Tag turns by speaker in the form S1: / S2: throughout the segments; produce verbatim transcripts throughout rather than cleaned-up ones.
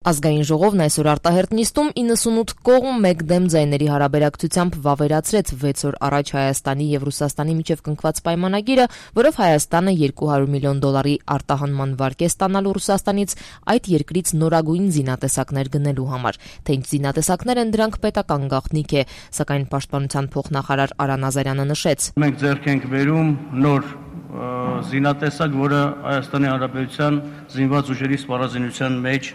S1: Ազգային ժողովն այսօր արտահերտ նիստում իննսունութ կողմ մեկ դեմ ձայների հարաբերակցությամբ վավերացրեց վեց օր առաջ Հայաստանի եւ Ռուսաստանի միջև կնքված պայմանագիրը, որով Հայաստանը երկու հարյուր միլիոն դոլարի արտահանման վարկ է ստանալու Ռուսաստանից այդ երկրից նորագույն զինատեսակներ գնելու համար։ Թե ինչ զինատեսակներ են դրանք պետական գաղտնիք է, սակայն պաշտպանության փոխնախարար Արա Նազարյանը նշեց.
S2: Մենք ձեռք ենք բերում նոր զինատեսակ, որը Հայաստանի Հանրապետության զինված ուժերի սպառազինության մեջ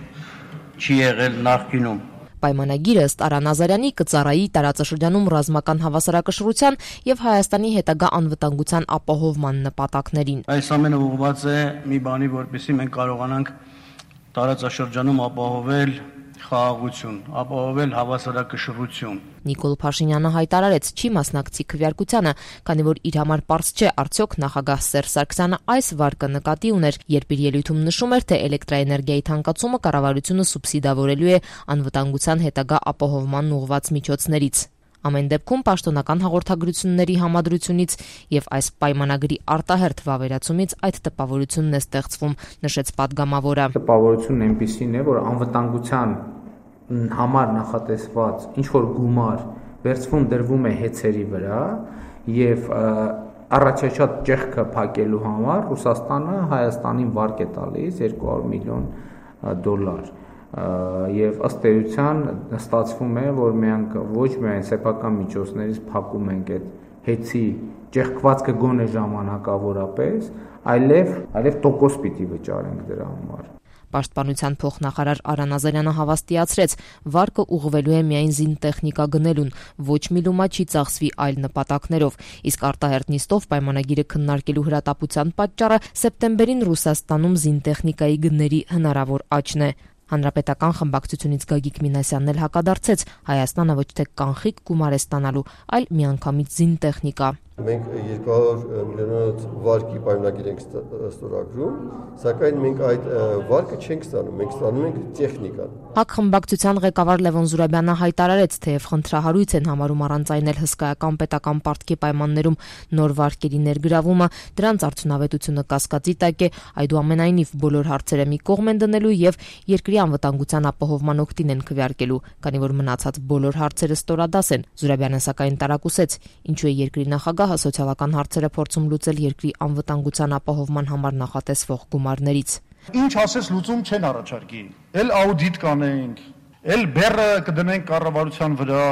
S2: չի եղել նախկինում։
S1: Պայմանագիրը ըստ Արա Նազարյանի կծառայի տարածաշրջանում ռազմական հավասարակշռության եւ Հայաստանի հետագա անվտանգության ապահովման նպատակներին։
S2: Այս ամենը ուղղված է մի բանի, որպեսզի մենք կարողանանք տարածաշրջանում ապահովել խաղաղություն, ապահովել հավասարակշռություն։
S1: Նիկոլ Փաշինյանը հայտարարեց, չի մասնակցի քվեարկությանը, քանի որ իր համար պարզ չէ արդյոք նախագահ Սերժ Սարգսյանը այս վարկը նկատի ուներ, երբ իր ելույթում նշում էր, թե էլեկտրաէներգիայի թանկացումը կառավարությունը սուբսիդավորելու է անվտանգության հետագա ապահովման ուղղված միջոցներից։ Ամեն դեպքում պաշտոնական հաղորդագրությունների համադրությունից եւ այս պայմանագրի արտահերթ վավերացումից այդ տպավորությունն է ստեղծվում, նշեց падգամավորը։
S3: Տպավորությունն այնպիսին է, որ անվտանգության համար նախատեսված ինչ որ գումար վերցվում դրվում է հեծերի վրա եւ առաջացած ճեղքը փակելու համար Ռուսաստանը Հայաստանին վարկ է տալիս երկու հարյուր միլիոն դոլար եւ ըստ էության ստացվում է, որ մենք ոչ միայն սեփական միջոցներից փակում ենք այդ հեծի ճեղքվածքը գոնե ժամանակավորապես, այլև այլև տոկոս պիտի վճարենք դրա համար։
S1: Պաշտպանության փոխնախարար Արա Նազարյանը հավաստիացրեց, վարկը ուղղվելու է միայն զինտեխնիկա գնելուն, ոչ մի լումա չի ծախսվի այլ նպատակներով, իսկ արտահերթ նիստով պայմանագիրը քննարկելու հրատապության պատճառը սեպտեմբերին Ռուսաստանում զինտեխնիկայի գների հնարավոր աճն է։ Հանրապետական խմբակցությունից Գագիկ Մինասյանն էլ հակադարձեց, Հայաստանը ոչ թե կանխիկ գումար է ստանալու, այլ միանգամից զինտեխնիկա։
S4: Մենք երկու հարյուր միլիոնոց վարկի պայմանագիր ենք ստորագրում, սակայն մենք այդ վարկը չենք ստանում, մենք ստանում ենք տեխնիկան։
S1: ՀԱԿ խմբակցության ղեկավար Լևոն Զուրաբյանը հայտարարեց, թեև խնդրահարույց են համարում առանց այն էլ հսկայական պետական պարտքի պայմաններում նոր վարկերի ներգրավումը, դրանց արդյունավետությունը կասկածի տակ է, այդուամենայնիվ բոլոր հարցերը մի կողմ են դնելու եւ երկրի անվտանգության ապահովման օգտին են քվեարկելու, քանի որ մնացած բոլոր հարցերը ստորադաս են։ Զուրաբյանը սակայն տարակուսեց, ինչու է երկրի նախագահը սոցիալական հարցերը փորձում լուծել երկրի անվտանգության ապահովման համար նախատեսվող գումարներից։
S5: Ինչ ասես լուծում չեն առաջարկի։ Էլ աուդիտ կանենք, էլ բեռը կդնենք կառավարության վրա,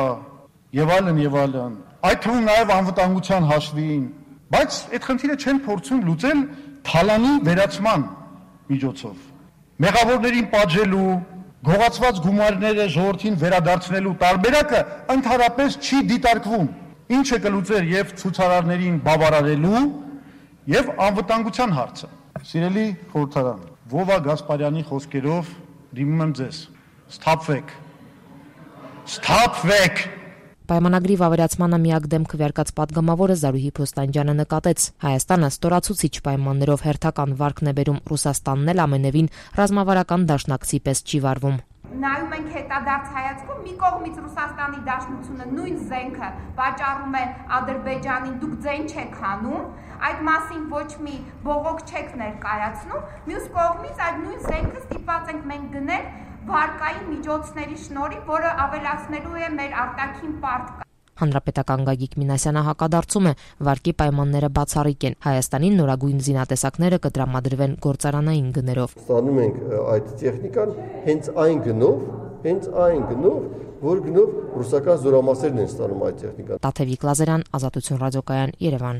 S5: եւ այլն եւ այլն։ Այդ թվում նաեւ անվտանգության հաշվին, բայց այդ խնդիրը չեն փորձում լուծել թալանի վերացման միջոցով։ Մեղավորներին պատժելու, գողացված գումարները ժողովրդին վերադարձնելու տարբերակը ընդհանրապես չի դիտարկվում։ Ինչը կլուծեր եւ ցուցարարներին բավարարելու եւ անվտանգության հարցը։ Սիրելի խորհրդարան, Վովա Գասպարյանի խոսքերով դիմում եմ ձեզ. Սթափվեք։ Սթափվեք։
S1: Պայմանագրի վավերացմանը միակ դեմ քվեարկած падգամավորը Զարուհի Փոստանջյանը նկատեց. Հայաստանը ստորացուցիչ պայմաններով հերթական վարկն է բերում, Ռուսաստանն էլ ամենևին ռազմավարական դաշնակցի պես չի վարվում։
S6: Նայում ենք հետադարձ հայացքով, մի կողմից Ռուսաստանի Դաշնությունը նույն զենքը վաճառում է Ադրբեջանին, դուք ձեն չեք հանում, այդ մասին ոչ մի բողոք չեք ներկայացնում, մյուս կողմից այդ նույն զենքը ստիպված ենք մենք գնել վարկային միջոցների շնորհիվ, որը ավելացնելու է մեր արտաքին պարտքը։
S1: Հանրապետական Գագիկ Մինասյանը հակադարձում է, վարկի պայմանները բացառիկ են, Հայաստանին նորագույն զինատեսակները կտրամադրվեն գործարանային գներով։
S4: Ստանում ենք այդ տեխնիկան հենց այն գնով, հենց այն գնով, որ գնով ռուսական զորամասերն են ստանում այդ տեխնիկան։
S1: Տաթևիկ Լազարյան, Ազատություն ռադիոկայան, Երևան։